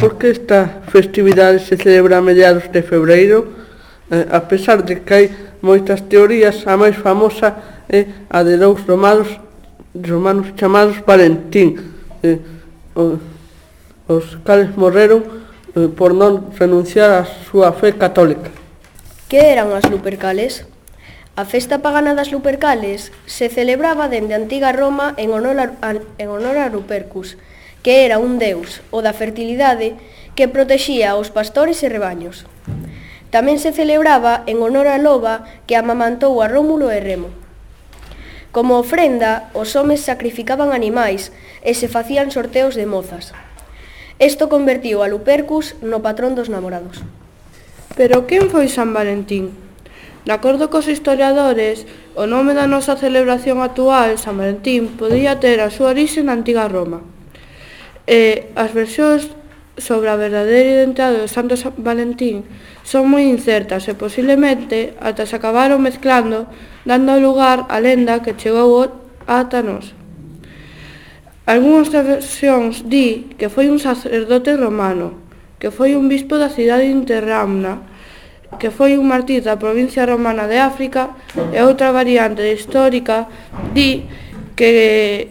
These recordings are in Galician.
por que esta festividade se celebra a mediados de febreiro? A pesar de que hai moitas teorías, a máis famosa é a de dous romanos chamados Valentín, os cales morreron por non renunciar á súa fe católica. Que eran as Lupercales? A festa pagana das Lupercales se celebraba dende a antiga Roma en honor a Lupercus, que era un deus, o da fertilidade, que protexía aos pastores e rebaños. Tamén se celebraba en honor a loba que amamantou a Rómulo e Remo. Como ofrenda, os homes sacrificaban animais e se facían sorteos de mozas. Isto convertiu a Lupercus no patrón dos namorados. Pero quen foi San Valentín? De acordo cos historiadores, o nome da nosa celebración actual, San Valentín, podía ter a súa orixe na antiga Roma. As versións sobre a verdadeira identidade do Santo San Valentín son moi incertas e posiblemente ata se acabaron mezclando, dando lugar á lenda que chegou ata nós. Algúnas versións di que foi un sacerdote romano, que foi un bispo da cidade de Interramna, que foi un mártir da provincia romana de África, e outra variante histórica di que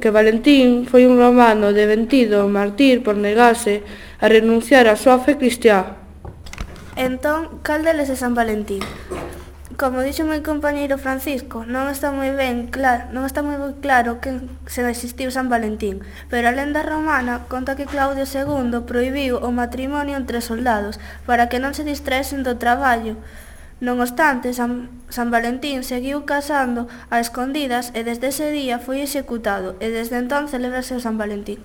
Valentín foi un romano deventido mártir por negarse a renunciar á súa fe cristiá. Entón, cal deles é San Valentín? Como dixo meu compañeiro Francisco, non está moi claro que se existiu San Valentín, pero a lenda romana conta que Claudio II prohibiu o matrimonio entre soldados para que non se distraesen do traballo. Non obstante, San Valentín seguiu casando a escondidas e desde ese día foi executado e desde entón celébrase o San Valentín.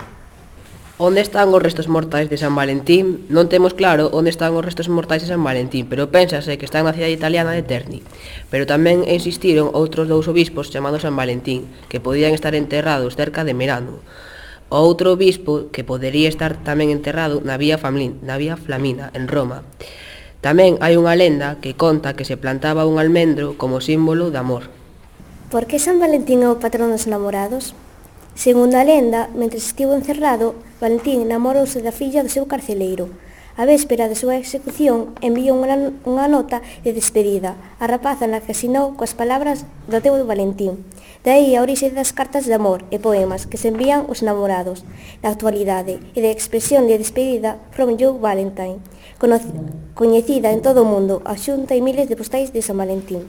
Onde están os restos mortais de San Valentín? Non temos claro onde están os restos mortais de San Valentín, pero pénsase que están na cidade italiana de Terni. Pero tamén existiron outros dous obispos chamados San Valentín, que podían estar enterrados cerca de Merano. O outro obispo que podería estar tamén enterrado na Vía Flamina, en Roma. Tamén hai unha lenda que conta que se plantaba un almendro como símbolo de amor. Por que San Valentín é o patrón dos namorados? Segundo a lenda, mentre estivo encerrado, Valentín namorouse da filla do seu carceleiro. A véspera de súa execución, enviou unha nota de despedida á rapaza na que asinou coas palabras do teu Valentín. De aí a orixe das cartas de amor e poemas que se envían os namorados na actualidade e de expresión de despedida From You Valentine, coñecida en todo o mundo, a xunta e miles de postais de San Valentín.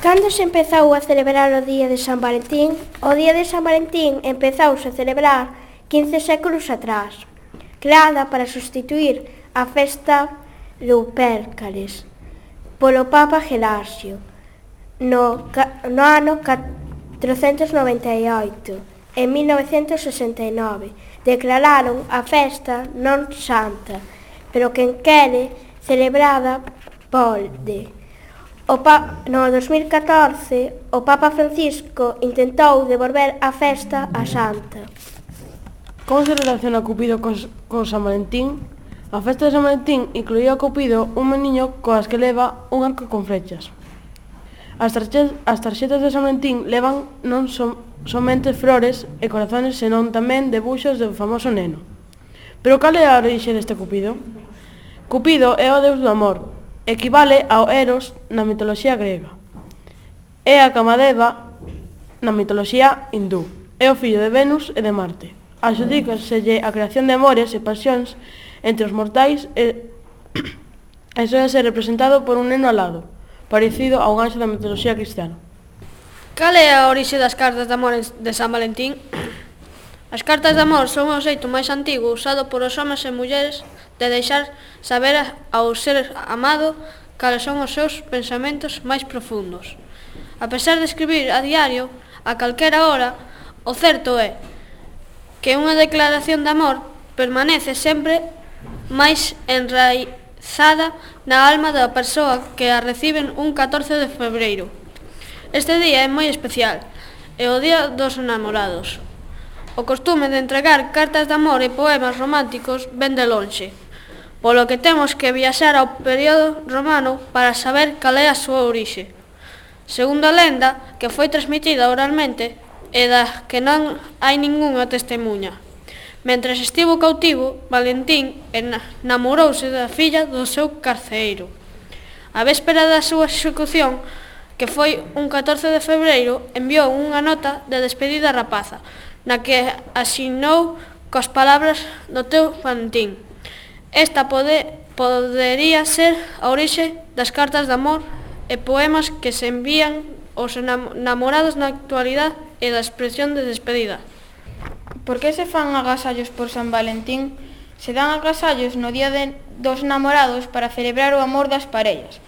Cando se empezou a celebrar o Día de San Valentín? O Día de San Valentín empezouse a celebrar 15 séculos atrás, creada para sustituir a festa Lupercales polo Papa Gelasio no ano 498. En 1969 declararon a festa non santa, pero quen quere celebrada pode. No 2014, o Papa Francisco intentou devolver a festa a santa. Como se relaciona Cupido con San Valentín? A festa de San Valentín incluía a Cupido un meniño coas que leva un arco con flechas. As tarxetas de San Valentín levan non somente flores e corazones, senón tamén debuxos do famoso neno. Pero cal é a orixe deste Cupido? Cupido é o deus do amor. Equivale ao Eros na mitoloxía grega. É a Kamadeva na mitoloxía hindú. É o fillo de Venus e de Marte. Adxudícaselle a creación de amores e pasións entre os mortais e soe ser representado por un neno alado, parecido a un anxo da mitoloxía cristiana. Cal é a orixe das cartas de amor de San Valentín? As cartas de amor son o xeito máis antigo usado por os homes e mulleres de deixar saber ao ser amado cales son os seus pensamentos máis profundos. A pesar de escribir a diario, a calquera hora, o certo é que unha declaración de amor permanece sempre máis enraizada na alma da persoa que a reciben un 14 de febreiro. Este día é moi especial, é o Día dos Namorados. O costume de entregar cartas de amor e poemas románticos ven de lonxe, polo que temos que viaxar ao período romano para saber cal é a súa orixe. Segundo a lenda, que foi transmitida oralmente e da que non hai ningunha testemunha. Mentres estivo cautivo, Valentín namorouse da filla do seu carcereiro. A véspera da súa execución, que foi un 14 de febreiro, enviou unha nota de despedida á rapaza, na que asinou coas palabras do teu Valentín. Esta podería ser a orixe das cartas de amor e poemas que se envían aos namorados na actualidade e da expresión de despedida. Por que se fan agasallos por San Valentín? Se dan agasallos no día dos namorados para celebrar o amor das parellas.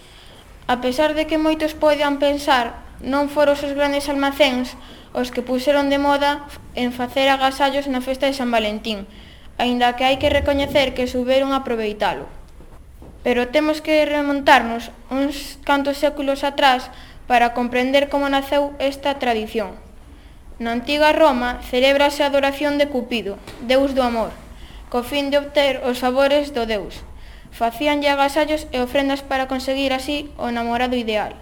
A pesar de que moitos poidan pensar, non foron os grandes almacéns os que puseron de moda en facer agasallos na festa de San Valentín, aínda que hai que recoñecer que souberon aproveitalo. Pero temos que remontarnos uns cantos séculos atrás para comprender como naceu esta tradición. Na antiga Roma celébrase a adoración de Cupido, deus do amor, co fin de obter os favores do deus. Facíanlle agasallos e ofrendas para conseguir así o namorado ideal.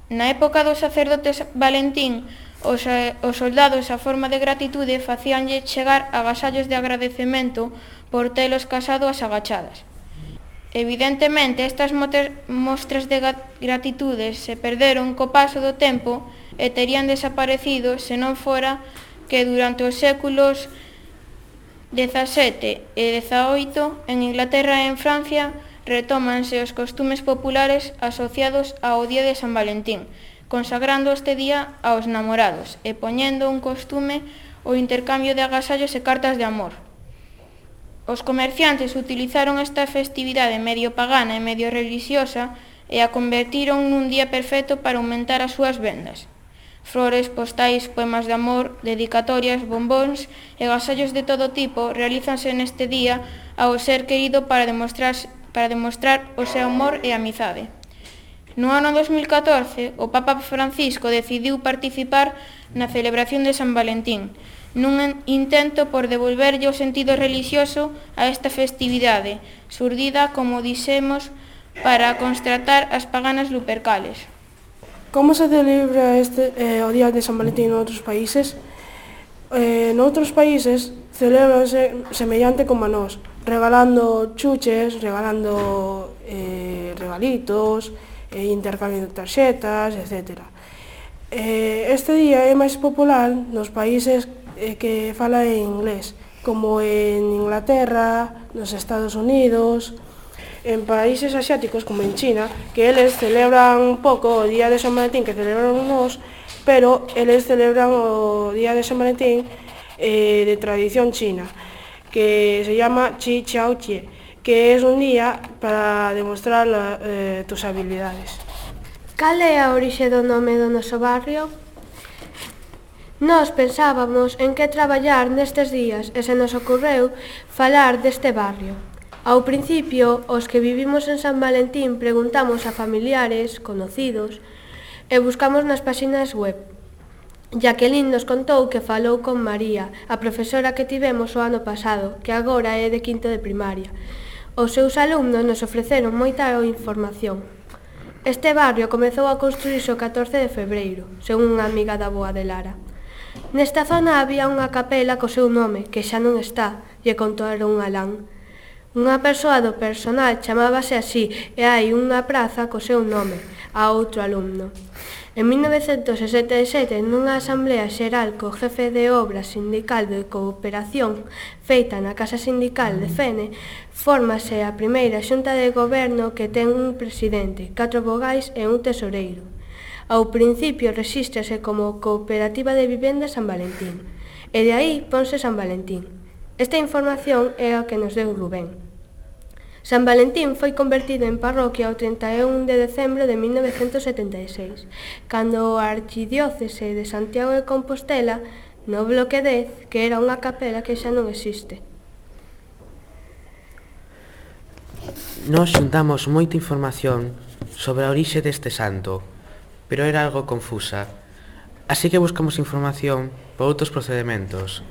Na época dos sacerdotes Valentín, os soldados a forma de gratitude facíanlle chegar agasallos de agradecemento por telos casado ás agachadas. Evidentemente, estas mostras de gratitude se perderon co paso do tempo e terían desaparecido se non fora que durante os séculos XVII e XVIII en Inglaterra e en Francia retómanse os costumes populares asociados ao Día de San Valentín, consagrando este día aos namorados e poñendo un costume o intercambio de agasallos e cartas de amor. Os comerciantes utilizaron esta festividade medio pagana e medio religiosa e a convertiron nun día perfecto para aumentar as súas vendas. Flores, postais, poemas de amor, dedicatorias, bombóns e agasallos de todo tipo realízanse neste día ao ser querido para demostrar o seu amor e amizade. No ano 2014, o Papa Francisco decidiu participar na celebración de San Valentín, nun intento por devolverlle o sentido religioso a esta festividade, xurdida, como dixemos, para constatar as paganas lupercales. Como se celebra o Día de San Valentín noutros países? Noutros países celebranse semellante como a nós, regalando chuches, regalando regalitos, intercambio de tarxetas, etc. Este día é máis popular nos países que falan en inglés, como en Inglaterra, nos Estados Unidos, en países asiáticos como en China, que eles celebran un pouco o Día de San Valentín que celebran nós, pero eles celebran o Día de San Valentín de tradición china, que se llama Qi Qiao Jie, que é un día para demostrar tus habilidades. Cal é a orixe do nome do noso barrio? Nós pensábamos en que traballar nestes días e se nos ocorreu falar deste barrio. Ao principio, os que vivimos en San Valentín preguntamos a familiares, conocidos, e buscamos nas páxinas web. Jacqueline nos contou que falou con María, a profesora que tivemos o ano pasado, que agora é de quinto de primaria. Os seus alumnos nos ofreceron moita información. Este barrio comezou a construírse o 14 de febreiro, según unha amiga da boa de Lara. Nesta zona había unha capela co seu nome, que xa non está, lle contaron a Alán. Unha persoa do personal chamábase así e hai unha praza co seu nome, a outro alumno. En 1967, nunha asamblea xeral co jefe de obra sindical de cooperación feita na Casa Sindical de Fene, fórmase a primeira xunta de goberno que ten un presidente, 4 vogais e un tesoreiro. Ao principio rexístrase como Cooperativa de Vivenda San Valentín, e de aí ponse San Valentín. Esta información é a que nos deu Rubén. San Valentín foi convertido en parroquia o 31 de decembro de 1976, cando a Archidiócese de Santiago de Compostela, no bloque 10, que era unha capela que xa non existe. Nos xuntamos moita información sobre a orixe deste santo, pero era algo confusa, así que buscamos información por outros procedementos.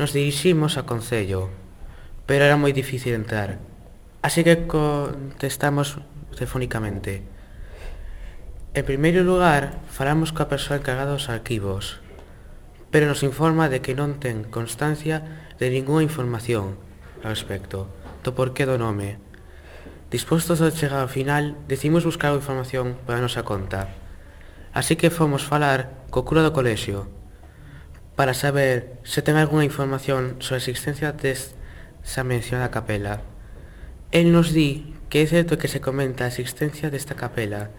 Nos diriximos ao Concello, pero era moi difícil entrar. Así que contestamos telefónicamente. En primeiro lugar, falamos coa persoa encargada dos arquivos, pero nos informa de que non ten constancia de ningunha información ao respecto do porqué do nome. Dispostos a chegar ao final, decidimos buscar a información para a nosa conta. Así que fomos falar co cura do colexio para saber se ten algunha información sobre a existencia desa mencionada capela. El nos di que é certo que se comenta a existencia desta capela,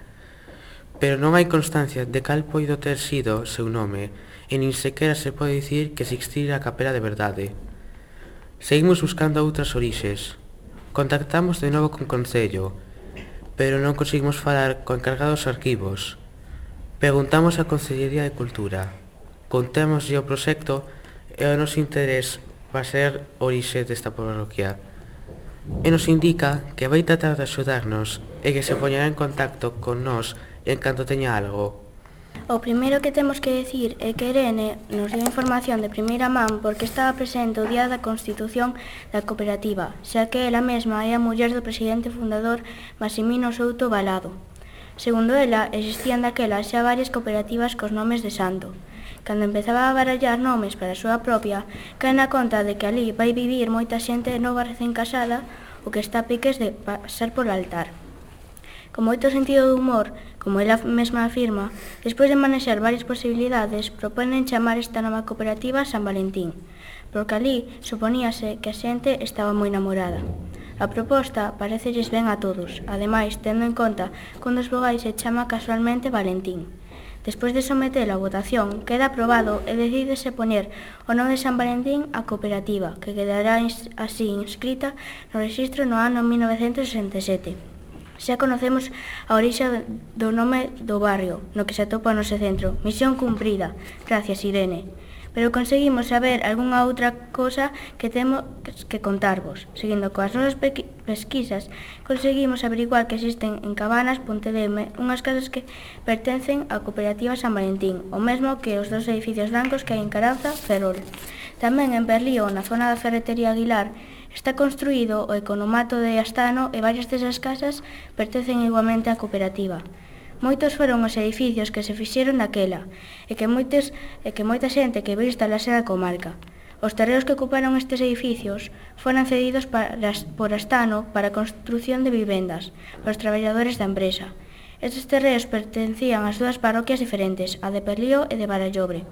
pero non hai constancia de cal poido ter sido seu nome, e nin sequera se pode dicir que existira a capela de verdade. Seguimos buscando outras orixes. Contactamos de novo con Concello, pero non conseguimos falar co encargado dos arquivos. Preguntamos á Concellería de Cultura. Contémoslle o proxecto e o noso interés va ser orixe desta parroquia. E nos indica que vai tratar de axudarnos e que se poñerá en contacto con nós en canto teña algo. O primeiro que temos que decir é que Irene nos deu información de primeira man porque estaba presente o día da constitución da cooperativa, xa que ela mesma é a muller do presidente fundador Maximino Souto Balado. Segundo ela, existían daquela xa varias cooperativas cos nomes de santo. Cando empezaba a barallar nomes para a súa propia, cae na conta de que ali vai vivir moita xente nova recén casada o que está a piques de pasar por altar. Con moito sentido de humor, como ela mesma afirma, despois de manexar varias posibilidades, proponen chamar esta nova cooperativa San Valentín, porque ali suponíase que a xente estaba moi namorada. A proposta parecelles ben a todos, ademais, tendo en conta que un dos vogais se chama casualmente Valentín. Despois de sometelo a votación, queda aprobado e decídese poñer o nome de San Valentín á cooperativa, que quedará así inscrita no rexistro no ano 1967. Xa conocemos a orixe do nome do barrio, no que se atopa o noso centro. Misión cumprida. Gracias, Irene. Pero conseguimos saber algunha outra cosa que temos que contarvos. Seguindo coas nosas pesquisas, conseguimos averiguar que existen en Cabanas, Pontedeme, unhas casas que pertencen á cooperativa San Valentín, o mesmo que os dos edificios blancos que hai en Caranza, Ferrol. Tamén en Berlío, na zona da ferretería Aguilar, está construído o economato de Astano e varias desas casas pertencen igualmente á cooperativa. Moitos foron os edificios que se fixeron daquela e que moita xente que veio instalarse na comarca. Os terreos que ocuparon estes edificios foron cedidos por Astano para a construción de vivendas para os traballadores da empresa. Estes terreos pertencían ás dúas parroquias diferentes, a de Berlío e de Barallobre.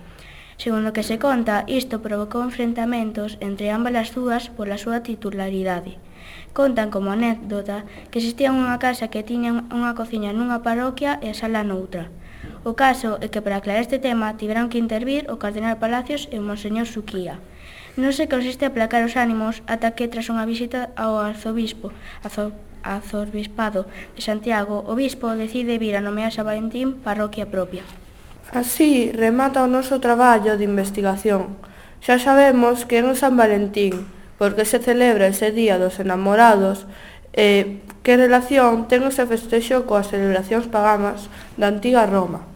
Segundo que se conta, isto provocou enfrentamentos entre ambas as dúas pola súa titularidade. Contan como anécdota que existía unha casa que tiña unha cociña nunha parroquia e a sala noutra. O caso é que para aclarar este tema tiveron que intervir o cardenal Palacios e o monseñor Suquía. Non se consiste aplacar os ánimos ata que tras unha visita ao arzobispado de Santiago, o bispo decide vir a nomear San Valentín parroquia propia. Así remata o noso traballo de investigación. Xa sabemos que é un San Valentín, porque se celebra ese día dos enamorados e que relación ten ese festexo coas celebracións paganas da antiga Roma.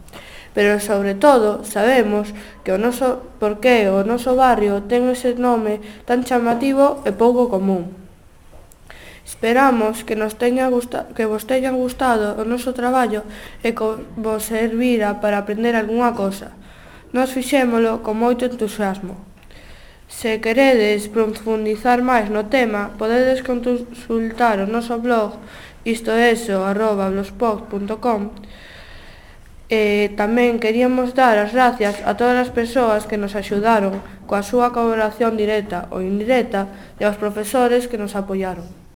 Pero, sobre todo, sabemos que por que o noso barrio ten ese nome tan chamativo e pouco común. Esperamos que vos teñan gustado o noso traballo e que vos servira para aprender algunha cosa. Nos fixémolo con moito entusiasmo. Se queredes profundizar máis no tema, podedes consultar o noso blog istoeso@blogspot.com. Tamén queríamos dar as gracias a todas as persoas que nos axudaron coa súa colaboración directa ou indirecta e aos profesores que nos apoiaron.